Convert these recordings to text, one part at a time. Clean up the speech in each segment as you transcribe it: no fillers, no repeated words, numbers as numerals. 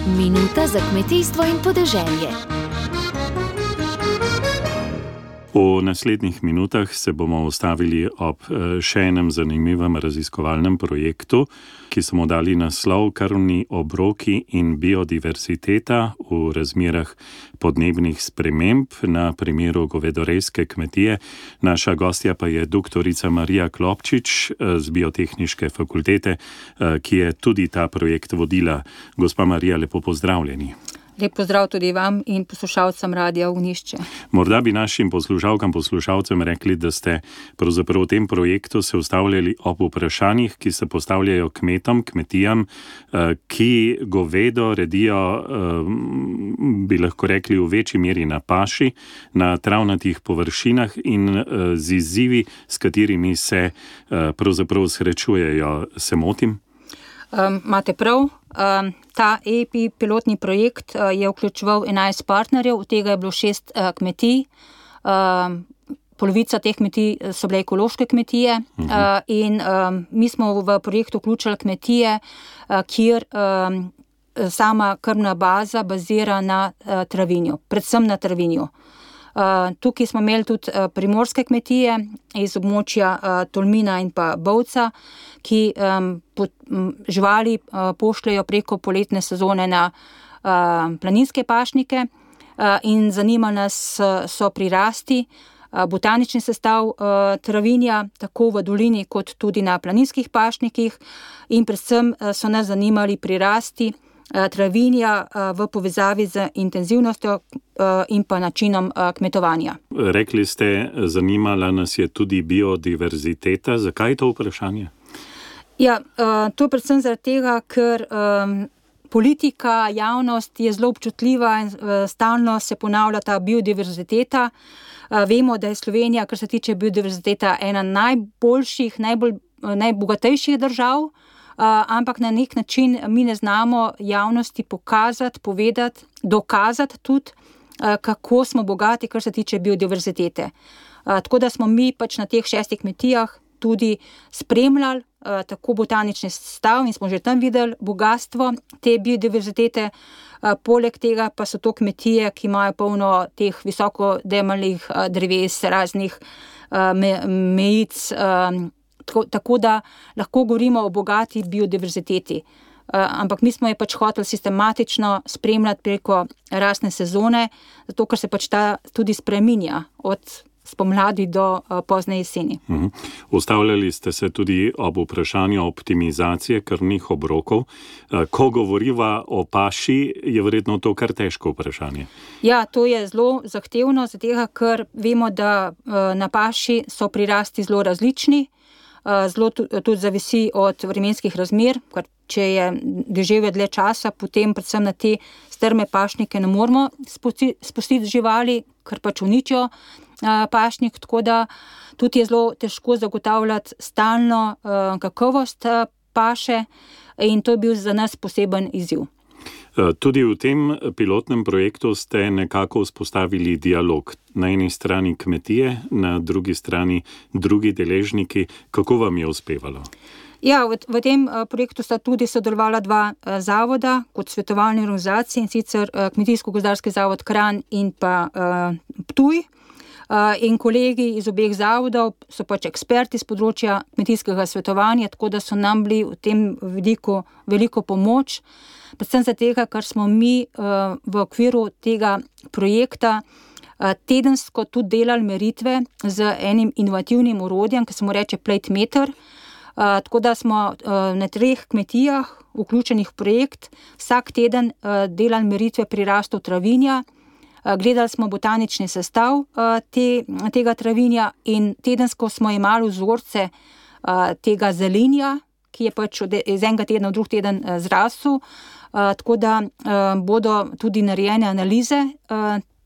Minuta za kmetijstvo in podeželje. V naslednjih minutah se bomo ustavili ob še enem zanimivem raziskovalnem projektu, ki smo dali naslov Krmni obroki in biodiverziteta v razmerah podnebnih sprememb na primeru govedorejske kmetije. Naša gostja pa je doktorica Marija Klopčič z Biotehniške fakultete, ki je tudi ta projekt vodila. Gospa Marija, lepo pozdravljeni. Lep pozdrav tudi vam in poslušalcem Radia Ognjišče. Morda bi našim poslušalcem rekli, da ste pravzaprav v tem projektu se ustavljali ob vprašanjih, ki se postavljajo kmetijam, ki govedo redijo, bi lahko rekli, v večji meri na paši, na travnatih površinah in z izzivi, s katerimi se pravzaprav srečujejo. Se motim? Imate prav. Ta EPI pilotni projekt je vključeval 11 partnerjev, od tega je bilo 6 kmetij. Polovica teh kmetij so bile ekološke kmetije in mi smo v projektu vključili kmetije, kjer sama krmna baza bazira na travinju, predvsem na travinju. Tukaj smo imeli tudi primorske kmetije iz območja Tolmina in pa Bovca, ki živali pošljajo preko poletne sezone na planinske pašnike in zanima nas so prirasti, botanični sestav travinja, tako v dolini kot tudi na planinskih pašnikih in predvsem so nas zanimali prirasti travinja v povezavi z intenzivnostjo in pa načinom kmetovanja. Rekli ste, zanimala nas je tudi biodiverziteta. Zakaj je to vprašanje? Ja, to predvsem zaradi tega, ker politika, javnost je zelo občutljiva in stalno se ponavlja ta biodiverziteta. Vemo, da je Slovenija, kar se tiče biodiverziteta, ena najboljših, najbogatejših držav, ampak na nek način mi ne znamo javnosti pokazati, povedati, dokazati tudi, kako smo bogati, kar se tiče biodiverzitete. Tako da smo mi pač na teh 6 kmetijah tudi spremljali tako botanični sestav in smo že tam videli bogatstvo te biodiverzitete. Poleg tega pa so to kmetije, ki imajo polno teh visokodemeljnih dreves, raznih mejic, tako da lahko govorimo o bogati biodiverziteti. Ampak mi smo je pač hoteli sistematično spremljati preko rastne sezone, zato ker se pač ta tudi spreminja od spomladi do pozne jeseni. Ustavljali ste se tudi ob vprašanju optimizacije krmnih obrokov. Ko govoriva o paši, je verjetno to kar težko vprašanje. Ja, to je zelo zahtevno, zato ker vemo, da na paši so prirasti zelo različni. Zelo tudi zavisi od vremenskih razmer, ker če je deževje dlje časa, potem predvsem na te strme pašnike ne moremo spustiti živali, ker pač uničijo pašnik, tako da tudi je zelo težko zagotavljati stalno kakovost paše in to je bil za nas poseben izziv. Tudi v tem pilotnem projektu ste nekako vzpostavili dialog. Na eni strani kmetije, na drugi strani drugi deležniki. Kako vam je uspevalo? Ja, v tem projektu sta tudi sodelovala 2 zavoda kot svetovalni organizaciji, in sicer Kmetijsko-gozdarski zavod Kranj in pa Ptuj. In kolegi iz obeh zavodov so pač eksperti z področja kmetijskega svetovanja, tako da so nam bili v tem vidiku veliko pomoč. Predvsem zato, ker smo mi v okviru tega projekta tedensko tudi delali meritve z enim inovativnim orodjem, ki se mu reče Plate-meter. Tako da smo na 3 kmetijah vključenih v projekt vsak teden delali meritve prirastov travinja. Gledali smo botanični sestav tega travinja in tedensko smo imeli vzorce tega zelenja, ki je pač iz enega tedna v drug teden zrasel. Tako da bodo tudi narejene analize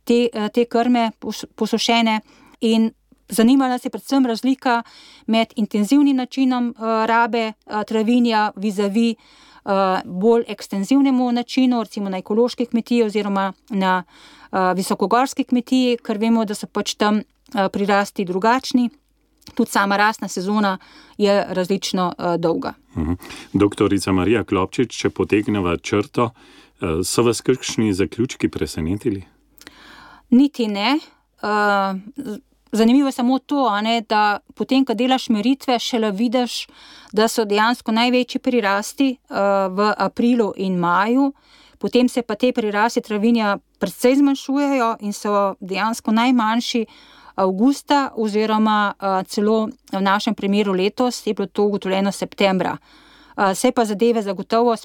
te krme posušene in zanimala nas je predvsem razlika med intenzivnim načinom rabe travinja vizavi bolj ekstenzivnemu načinu, recimo na ekološki kmetiji oziroma na visokogorski kmetiji, ker vemo, da so pač tam prirasti drugačni tudi sama rastna sezona je različno dolga. Doktorica Marija Klopčič, če potegneva črto, so vas kakšni zaključki presenetili? Niti ne. Zanimivo je samo to, da potem, ko delaš meritve, šele vidiš, da so dejansko največji prirasti v aprilu in maju, potem se pa te prirasti travinja precej zmanjšujejo in so dejansko najmanjši avgusta oziroma celo v našem primeru letos je bilo to ugotovljeno septembra. Se pa zadeve zagotovo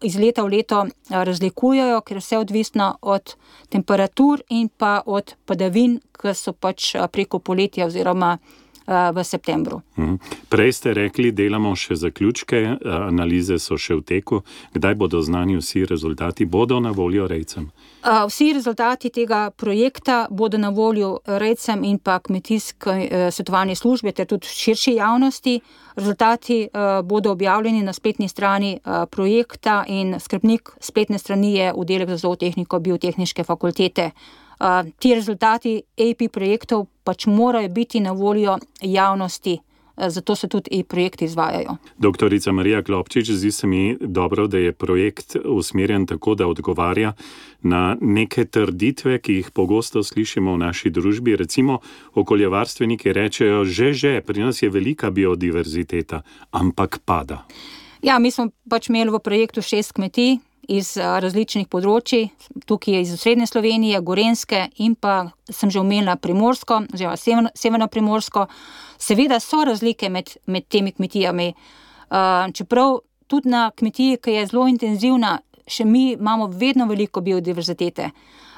iz leta v leto razlikujejo, ker vse odvisno od temperatur in pa od padavin, ki so pač preko poletja oziroma v septembru. Prej ste rekli, delamo še zaključke, analize so še v teku. Kdaj bodo znani vsi rezultati? Bodo na voljo rejcem? Vsi rezultati tega projekta bodo na voljo rejcem in pa kmetijski svetovalni službi ter tudi širši javnosti. Rezultati bodo objavljeni na spletni strani projekta in skrbnik spletne strani je oddelek za zootehniko Biotehniške fakultete. Ti rezultati AP projektov pač morajo biti na voljo javnosti, zato se tudi projekti izvajajo. Doktorica Marija Klopčič, zdi se mi dobro, da je projekt usmerjen tako, da odgovarja na neke trditve, ki jih pogosto slišimo v naši družbi. Recimo, okoljevarstveniki rečejo, že, pri nas je velika biodiverziteta, ampak pada. Ja, mi smo pač imeli v projektu 6 kmetij iz različnih področji, tukaj iz Srednje Slovenije, Gorenjske in pa sem že omenila Primorsko, oziroma Severno Primorsko. Seveda so razlike med temi kmetijami. Čeprav tudi na kmetiji, ki je zelo intenzivna, še mi imamo vedno veliko biodiverzitete.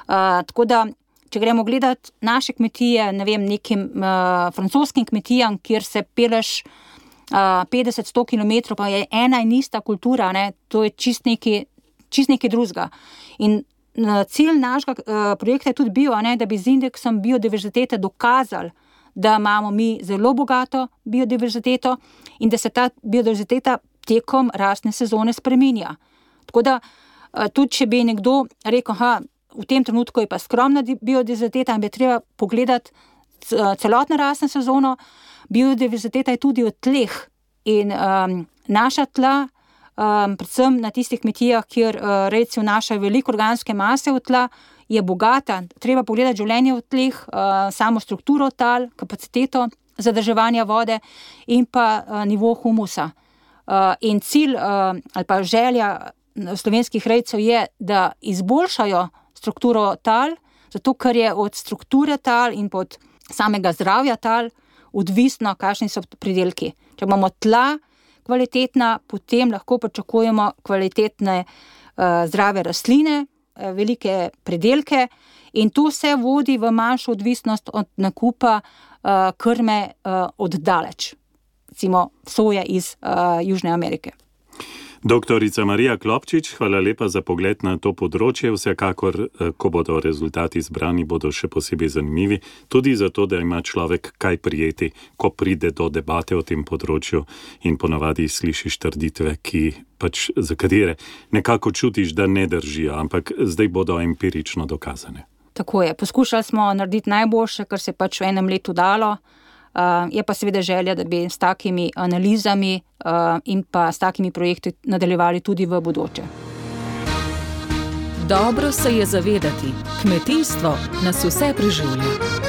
Tako da, če gremo gledati naše kmetije, ne vem, nekim francoskim kmetijam, kjer se peleš 50-100 km, pa je ena in ista kultura, to je čist nekaj drugega. In cilj našega projekta je tudi bil, da bi z indeksom biodiverzitete dokazali, da imamo mi zelo bogato biodiverziteto in da se ta biodiverziteta tekom rastne sezone spreminja. Tako da tudi, če bi nekdo rekel, v tem trenutku je pa skromna biodiverziteta in bi treba pogledati celotno rastno sezono, biodiverziteta je tudi v tleh in naša tla, predvsem na tistih kmetijah, kjer rejci vnašajo veliko organske mase v tla, je bogata. Treba pogledati življenje v tleh, samo strukturo tal, kapaciteto zadrževanja vode in pa nivo humusa. In cilj ali pa želja slovenskih rejcev je, da izboljšajo strukturo tal, zato ker je od strukture tal in od samega zdravja tal odvisno, kakšni so pridelki. Če imamo tla kvalitetna, potem lahko pričakujemo kvalitetne zdrave rastline, velike pridelke in to vse vodi v manjšo odvisnost od nakupa krme od daleč, recimo soje iz Južne Amerike. Doktorica Marija Klopčič, hvala lepa za pogled na to področje. Vsekakor, ko bodo rezultati zbrani, bodo še posebej zanimivi, tudi zato, da ima človek kaj prijeti, ko pride do debate o tem področju in ponavadi slišiš trditve, za katere nekako čutiš, da ne držijo, ampak zdaj bodo empirično dokazane. Tako je, poskušali smo narediti najboljše, kar se pač v enem letu dalo. Je pa seveda želja, da bi s takimi analizami in pa s takimi projekti nadaljevali tudi v bodoče. Dobro se je zavedati, kmetijstvo nas vse preživlja.